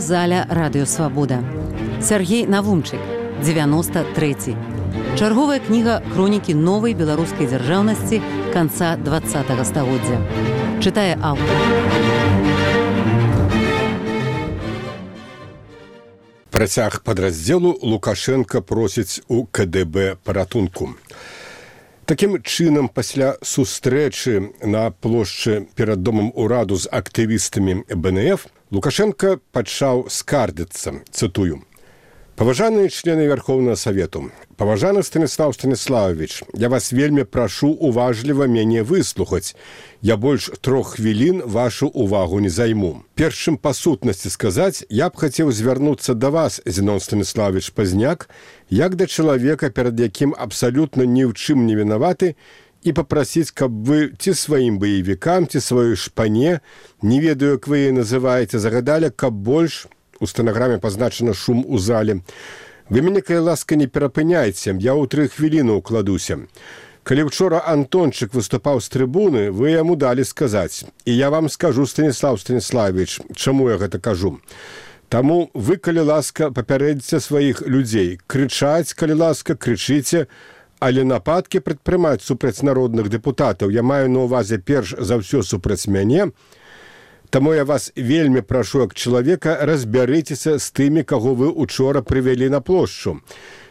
аўдыёзаля «Радыёсвабода». Сяргей Навумчык, 93. Чарговая кніга хронікі новай беларускай дзяржаўнасці канца 20-го стагоддзя. Чытае аўтар. Працяг падраздзелу Лукашенка просіць у КДБ паратунку. Такім чынам, пасля сустрэчы на плошчы перад домам ураду з актывістамі БНФ, Лукашенка пачаў скардзіцца, цытую: «Паважаныя члены Верховнага Савету, паважаны Станіслав Станіславович, я вас вельмі прашу уважліва мяне выслухаць. Я больш 3 хвілін вашу увагу не займу. Перш чым па сутнасці сказаць, я б хацеў звярнуцца да вас, Зінон Станіславович Пазняк, як да чалавека, перад якім абсалютна ні ў чым не вінаваты, і папрасіць, каб вы ці сваім баевікам, ці сваёй шпане, не ведаю, як вы яе называеце, загадалі, каб больш, у стэнаграме пазначана шум у зале. Вы мяне, калі ласка, не перапыняйце, я ў 3 хвіліны ўкладуся. Калі учора Антончык выступаў з трыбуны, вы яму далі сказаць. І я вам скажу, Станіслав Станіславович, чаму я гэта кажу. Таму вы, калі ласка, папярэдзіце сваіх людзей. Крычаць, калі ласка, крычыце, але нападкі прадпрымаць супраць народных дэпутатаў. Я маю на ўвазе перш за ўсё супраць мяне. Таму я вас вельмі прашу, як чалавека, разбярыцеся з тымі, каго вы учора прывялі на плошчу.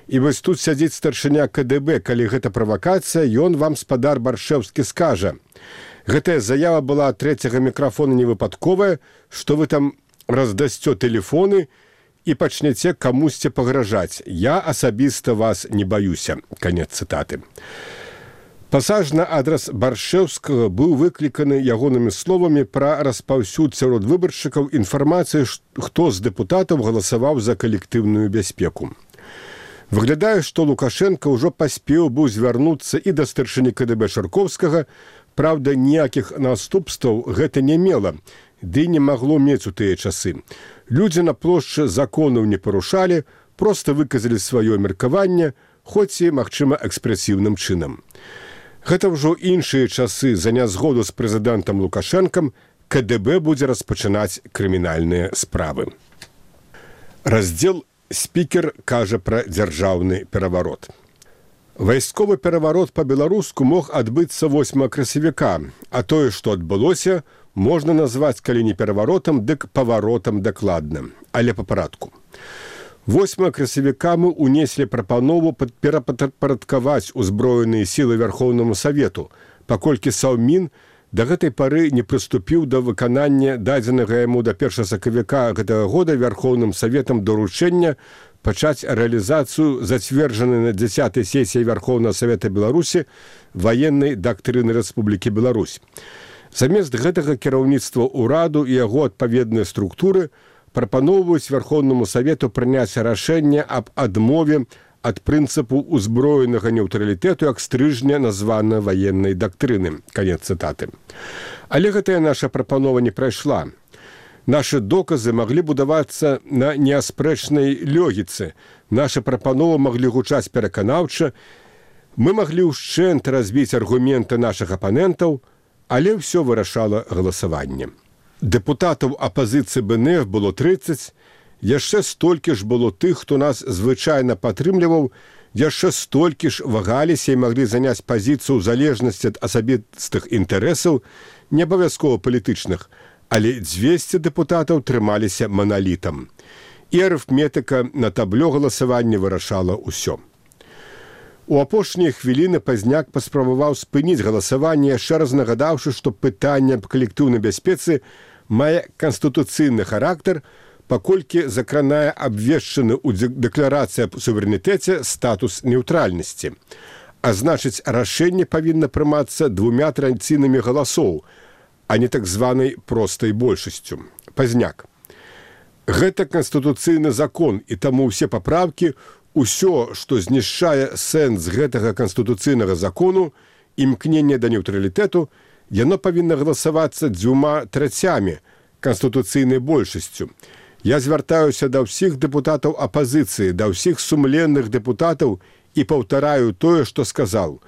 І вось тут сядзіць старшыня КДБ, калі гэта правакацыя, ён вам, спадар Баршэўскі, скажа. Гэтая заява была ад 3-го мікрафона невыпадковая, што вы там раздасцё тэлефоны і пачнеце камусьці пагражаць. Я асабіста вас не баюся. Канец цытаты. Пасаж на адрас Баршэўскага быў выкліканы ягонымі словамі пра распаўсюд сярод выбаршчыкаў інфармацыі, хто з дэпутатаў галасаваў за калектыўную бяспеку. Выглядае, што Лукашенка ўжо паспеў быў звярнуцца і да старшыні КДБ Шаркоўскага, праўда, ніякіх наступстваў гэта не мела, ды не магло мець у тыя часы. Людзі на плошчы законаў не парушалі, проста выказалі сваё меркаванне, хоць і, магчыма, экспрэсіўным чынам. Гэта ўжо іншыя часы. За нязгоду з прэзідэнтам Лукашэнкам КДБ будзе распачынаць крымінальныя справы. Раздзел «Спікер кажа пра дзяржаўны пераварот». Вайсковы пераварот па-беларуску мог адбыцца 8 красавіка, а тое, што адбылося, можна назваць, калі не пераваротам, дык паваротам дакладна, але па парадку. 8 красавіка мы унеслі прапанову перапарадкаваць узброеныя сілы Верхоўнаму Савету, паколькі Саўмін да гэтай пары не прыступіў да выканання дадзенага яму да 1 сакавіка гэтага года Верхоўным Саветам даручэння пачаць рэалізацыю зацверджанай на 10-й сесіі Верхоўнага Савета Беларусі ваеннай дактрыны Рэспублікі Беларусь. Замест гэтага кіраўніцтва ўраду і яго адпаведныя структуры прапаноўваюць Верхоўнаму Савету прыняць рашэнне аб адмове ад прынцыпу ўзброенага нейтралітэту як стрыжня названа ваеннай дактрыны. Канец цытаты. Але гэтая наша прапанова не прайшла. Нашы доказы маглі будавацца на неаспрэчнай логіцы. Нашы прапановы маглі гучаць пераканаўча. Мы маглі ўшчэнт разбіць аргументы нашых апанентаў, але ўсё вырашала галасаванне. Дэпутатаў апазіцыі БНФ было 30, яшчэ столькі ж было тых, хто нас звычайна падтрымліваў, яшчэ столькі ж вагаліся і маглі заняць пазіцыю ў залежнасці ад асабістых інтарэсаў, не абавязкова палітычных, але 200 дэпутатаў трымаліся маналітам. І арыфметыка на таблё галасавання вырашала ўсё. У апошнія хвіліны Пазняк паспрабаваў спыніць галасаванне, яшчэ раз нагадаўшы, што пытанне аб калектыўнай бяспецы мае канстытуцыйны характар, паколькі закранае абвешчаны ў дэкларацыі аб суверэнітэце статус нейтральнасці. А значыць, рашэнне павінна прымацца 2 традыцыйнымі галасоў, а не так званай простай большасцю. Пазняк. Гэта канстытуцыйны закон, і таму ўсе папраўкі, усё, што знішчае сэнс гэтага канстытуцыйнага закону, імкненне да нейтралітэту, яно павінна галасавацца 2/3 канстытуцыйнай большасцю. Я звяртаюся да ўсіх дэпутатаў апазіцыі, да ўсіх сумленных дэпутатаў і паўтараю тое, што сказаў.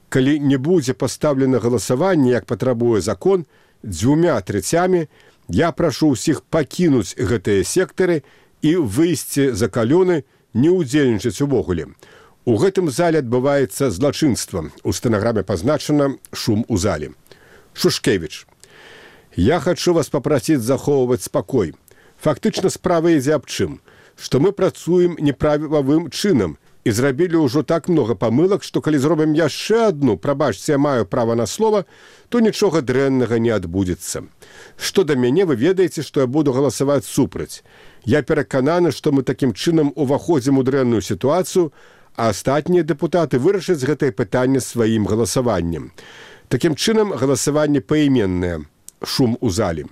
Калі не будзе пастаўлена галасаванне, як патрабуе закон, 2/3 Я прашу ўсіх пакінуць гэтыя сектары і выйсці за калёны, не ўдзельнічаць увогуле. У гэтым зале адбываецца злачынства. У стэнаграме пазначана «шум у зале». Шушкевич. Я хочу вас попросить захоўваць спакой. Фактычна справа ідзе аб чым, што мы працуем неправавым чынам і зрабілі ўжо так много памылак, што калі зробім яшчэ адну, прабачце, я маю права на слова, то нічога дрэннага не адбудзецца. Што да мяне, вы ведаеце, што я буду галасаваць супраць. Я перакананы, што мы такім чынам уваходзім у дрэнную сітуацыю, а астатнія дэпутаты вырашаць гэтае пытанне сваім галасаваннем. Такім чынам галасаванне паіменнае. Шум у зале.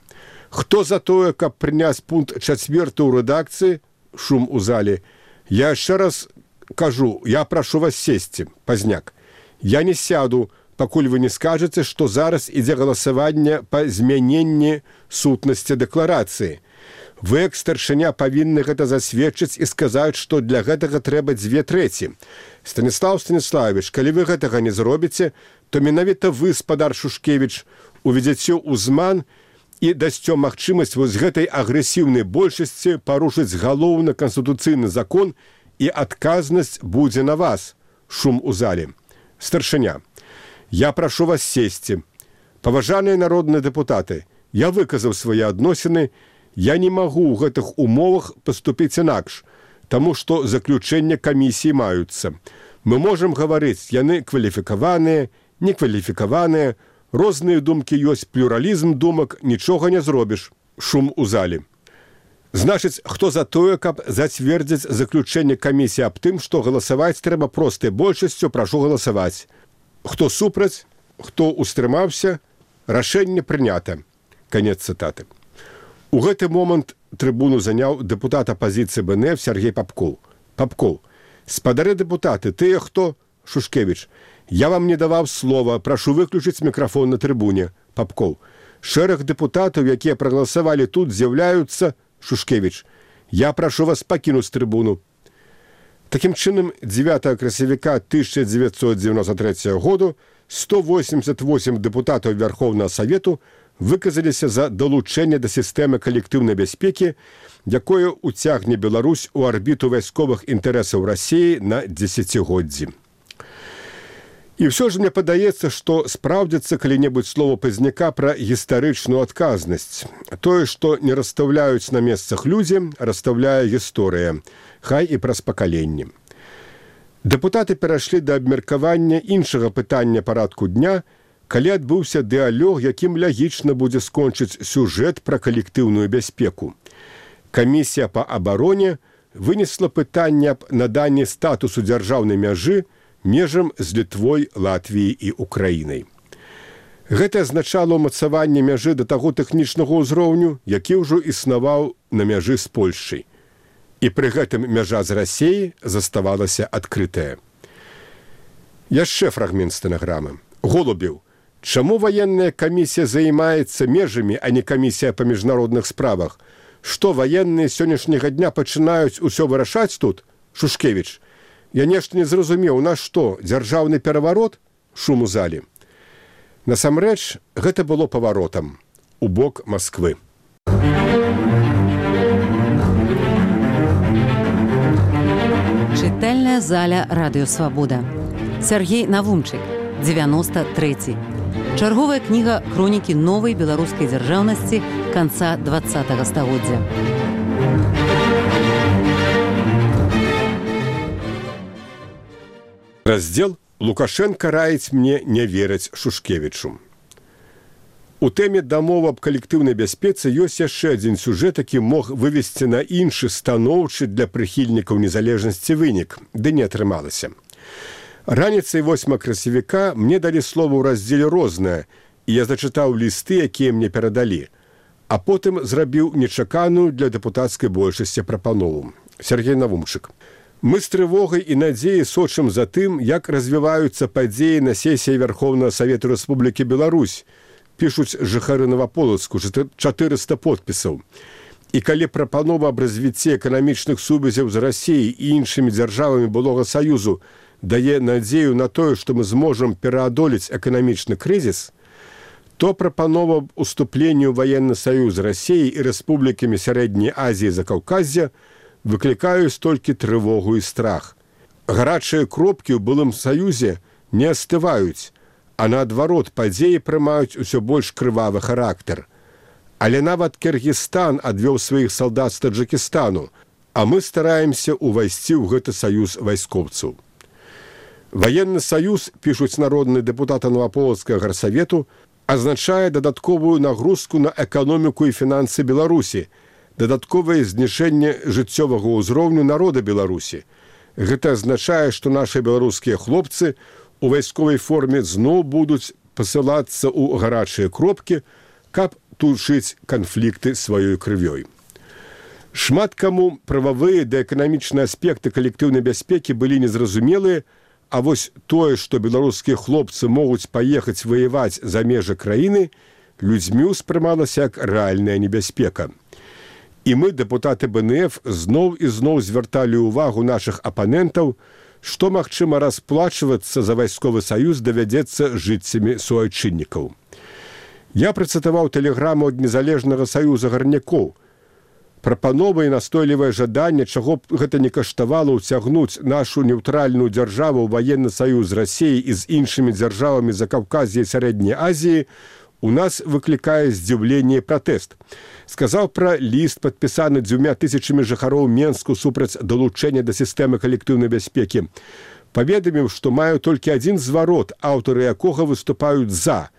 Хто за тое, каб прыняць пункт 4 ў рэдакцыі? Шум у зале. Я яшчэ раз кажу, я прашу вас сесці, Пазняк. Я не сяду, пакуль вы не скажаце, што зараз ідзе галасаванне па змяненні сутнасці дэкларацыі. Вы, як старшыня, павінны гэта засведчыць і сказаць, што для гэтага трэба 2/3. Станіслав Станіславович, калі вы гэтага не зробіце, то менавіта вы, спадар Шушкевич, уведзяце ўзман і дасцё магчымасць вось гэтай агрэсіўнай большасці парушыць галоўны канстытуцыйны закон і адказнасць будзе на вас. Шум у зале. Старшыня. Я прашу вас сесці. Паважаныя народныя дэпутаты, я выказаў свае адносіны, я не магу ў гэтых умовах паступіць інакш, таму што заключэння камісіі маюцца. Мы можам гаварыць, яны кваліфікаваныя, некваліфікаваныя, розныя думкі ёсць, плюралізм думак, нічога не зробіш. Шум у зале. Значыць, хто за тое, каб зацвердзіць заключэнне камісіі аб тым, што галасаваць трэба простай большасцю, прашу галасаваць. Хто супраць, хто устрымаўся, рашэнне прынята. Канец цытаты. У гэты момант трыбуну заняў дэпутат апазіцыі БНФ Сергей Попков. Попков. Спадары дэпутаты, тыя хто? Шушкевич. Я вам не даваў слова, прашу выключыць мікрафон на трыбуне. Попков. Шэраг дэпутатаў, якія прагаласавалі тут, з'яўляюцца. Шушкевич. Я прашу вас пакінуць трыбуну. Такім чынам, 9 красавіка 1993 году 188 дэпутатаў Верховнага Савету выказаліся за далучэнне да сістэмы калектыўнай бяспекі, якое уцягне Беларусь у арбіту вайсковых інтарэсаў Расіі на дзесяцігоддзі. І ўсё ж мне падаецца, што спраўдзіцца калі-небудзь слова Пазняка пра гістарычную адказнасць. Тое, што не расстаўляюць на месцах людзі, расстаўляе гісторыя, хай і праз пакаленні. Дэпутаты перайшлі да абмеркавання іншага пытання парадку дня, калі адбыўся дыалог, якім лагічна будзе скончыць сюжэт пра калектыўную бяспеку. Камісія па абароне вынесла пытанне аб наданні статусу дзяржаўнай мяжы межам з Літвой, Латвіяй і Украінай. Гэта азначала ўмацаванне мяжы да таго тэхнічнага ўзроўню, які ўжо існаваў на мяжы з Польшчай. І пры гэтым мяжа з Расіяй заставалася адкрытая. Яшчэ фрагмент стэнаграмы. Голубеў. Чаму ваенная камісія займаецца межамі, а не камісія па міжнародных справах? Што ваенныя сённяшняга дня пачынаюць усё вырашаць тут? Шушкевич. Я нешта не зразумеў, у нас што, дзяржаўны пераварот? Шум у зале. Насамрэч, гэта было паваротам у бок Масквы. Чытальная заля Радыё Свабода. Сергей Навумчык, 93. Чарговая кніга хронікі новай беларускай дзяржаўнасці канца 20-го стагоддзя. Раздзел «Лукашенко раіць мне не верыць Шушкевічу». У тэме дамовы аб калектыўнай бяспецы ёсць яшчэ адзін сюжэт, які мог вывесці на іншы станоўчы для прыхільнікаў незалежнасці вынік, ды не атрымалася. Раніцай 8 красавіка мне далі слова ў раздзеле «Рознае», і я зачытаў лісты, якія мне перадалі, а потым зрабіў нечаканую для дэпутацкай большасці прапанову. Сергей Навумчык. Мы з трывогай і надзеяй сочым за тым, як развіваюцца падзеі на сесіі Верховнага Савету Рэспублікі Беларусь, пішуць жыхары Новаполацку, 400 подпісаў. І калі прапанова аб развіцці эканамічных сувязяў з Расіяй і іншымі дзяржавамі былога Саюзу дае надзею на тое, што мы зможам пераадолець эканамічны крызіс, то прапанова аб уступленні ў ваенны саюз Расіі і рэспублікамі Сярэдняй Азіі і Закаўказья выклікаюць толькі трывогу і страх. Гарачыя кропкі ў былым саюзе не астываюць, а наадварот падзеі прымаюць усё больш крывавы характар. Але нават Кыргызстан адвёў сваіх салдат з Таджыкістану, а мы стараемся ўвайсці ў гэты саюз вайскоўцаў. Ваенны саюз, пішуць народныя дэпутаты Новаполацкага гарсавету, азначае дадатковую нагрузку на эканоміку і фінансы Беларусі, дадатковае зніжэнне жыццёвага ўзроўню народа Беларусі. Гэта азначае, што нашы беларускія хлопцы у вайсковай форме зноў будуць пасылацца ў гарачыя кропкі, каб тушыць канфлікты сваёй крывёй. Шмат каму прававыя ды эканамічныя аспекты калектыўнай бяспекі былі незразумелыя, а вось тое, што беларускія хлопцы могуць паехаць ваяваць за межы краіны, людзьмі ўспрымалася як рэальная небяспека. І мы, дэпутаты БНФ, зноў і зноў звярталі ўвагу нашых апанентаў, што, магчыма, расплачвацца за вайсковы саюз давядзецца жыццямі суайчыннікаў. Я працытаваў тэлеграму ад незалежнага саюза гарнякоў. Прапанова і настойлівае жаданне, чаго б гэта не каштавала ўцягнуць нашу неўтральную дзяржаву ў ваенны саюз Расіі і з іншымі дзяржавамі Закаўказья і Сярэдняй Азіі, у нас выклікае здзіўленне і пратэст. Сказаў пра ліст, падпісаны 2000 жыхароў Менску супраць далучэння да сістэмы калектыўнай бяспекі. Паведаміў, што маю толькі адзін зварот, аўтары якога выступаюць за,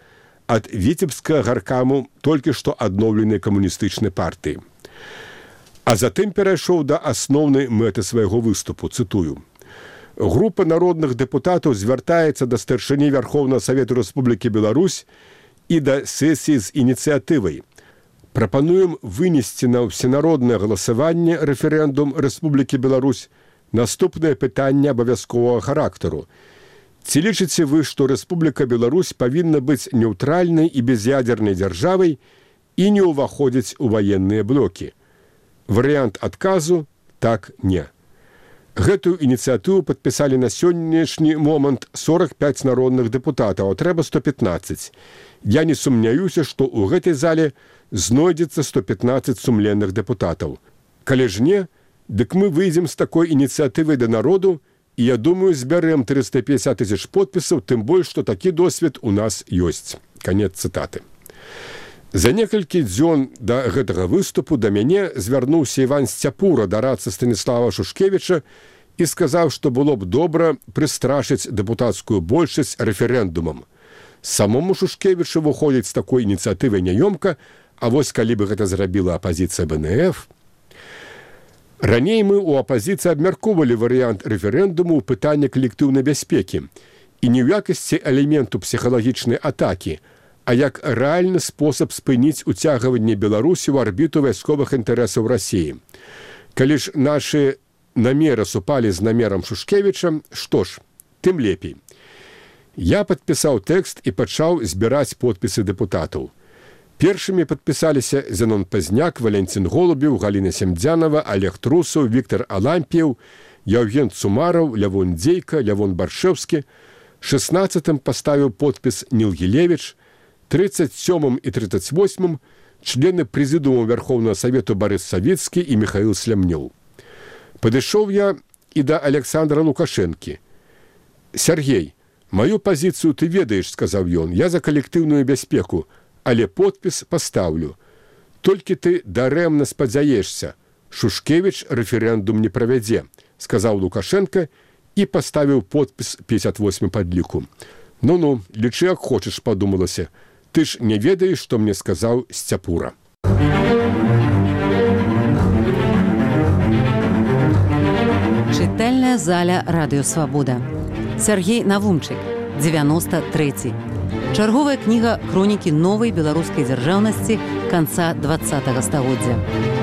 ад віцебскага гаркаму толькі што адноўленай камуністычнай партыі. А затым перайшоў да асноўнай мэты свайго выступу, цытую. Група народных дэпутатаў звяртаецца да старшыні Вярхоўнага Савету Рэспублікі Беларусь і да сесіі з ініцыятывай. Прапануем вынесці на ўсенароднае галасаванне рэферэндум Рэспублікі Беларусь наступнае пытанне абавязковага характару. Ці лічыце вы, што Рэспубліка Беларусь павінна быць неўтральнай і без'ядзернай дзяржавай і не ўваходзіць у ваенныя блокі? Варыянт адказу – так, не. Гэтую ініцыятыву падпісалі на сённяшні момант 45 народных дэпутатаў, а трэба 115. Я не сумняюся, што ў гэтай зале знойдзецца 115 сумленных дэпутатаў. Калі ж не, дык мы выйдзем з такой ініцыятывай да народу, і, я думаю, збярэм 350 000 подпісаў, тым больш, што такі досвед у нас ёсць. Канец цытаты. За некалькі дзён да гэтага выступу да мяне звярнуўся Іван Сцяпура, дарадца Станіслава Шушкевіча, і сказаў, што было б добра прыстрашыць дэпутацкую большасць рэферэндумам. Самому Шушкевічу выходзіць з такой ініцыятывай няёмка, а вось калі бы гэта зрабіла апазіцыя БНФ... Раней мы ў апазіцыі абмяркоўвалі варыянт рэферэндуму ў пытанні калектыўнай бяспекі і не ў якасці элементу псіхалагічнай атакі, а як рэальны спосаб спыніць уцягванне Беларусі ў арбіту вайсковых інтарэсаў Расіі. Калі ж нашы намеры супалі з намерам Шушкевіча, што ж, тым лепей. Я падпісаў тэкст і пачаў збіраць подпісы дэпутатаў. Першымі падпісаліся Зенон Пазняк, Валентин Голубеў, Галіна Семдзянова, Олег Трусаў, Віктор Алампіеў, Яўген Цумараў, Лявон Дзейка, Лявон Баршэўскі. 16-м паставіў подпіс Ніл Гілевіч, 37-м і 38-м члены прэзідыуму Вярхоўнага Савету Барыс Савіцкі і Міхаіл Слямнёў. Падышоў я і да Александра Лукашэнкі. «Сергей, маю пазіцыю ты ведаеш, — сказаў ён, — я за калектыўную бяспеку, але подпіс пастаўлю. Толькі ты дарэмна спадзяешся. Шушкевіч рэферэндум не правядзе», — сказаў Лукашенко і паставіў подпіс 58 падліку. «Ну-ну, лічы як хочаш», — падумалася. «Ты ж не ведаеш, што мне сказаў Сцяпура». Чытальная заля Радыё Свабода. Сергей Навумчык, 93. Чарговая кніга хронікі новай беларускай дзяржаўнасці канца 20-го стагоддзя.